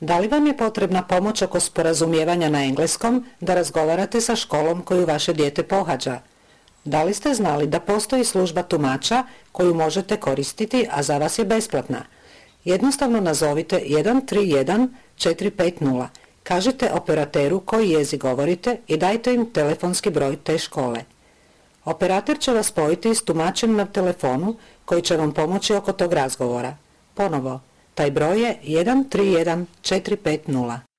Da li vam je potrebna pomoć oko sporazumijevanja na engleskom da razgovarate sa školom koju vaše dijete pohađa? Da li ste znali da postoji služba tumača koju možete koristiti, a za vas je besplatna? Jednostavno nazovite 131 450. Kažite operateru koji jezik govorite i dajte im telefonski broj te škole. Operator će vas spojiti s tumačem na telefonu koji će vam pomoći oko tog razgovora. Ponovo, taj broj je 131 450.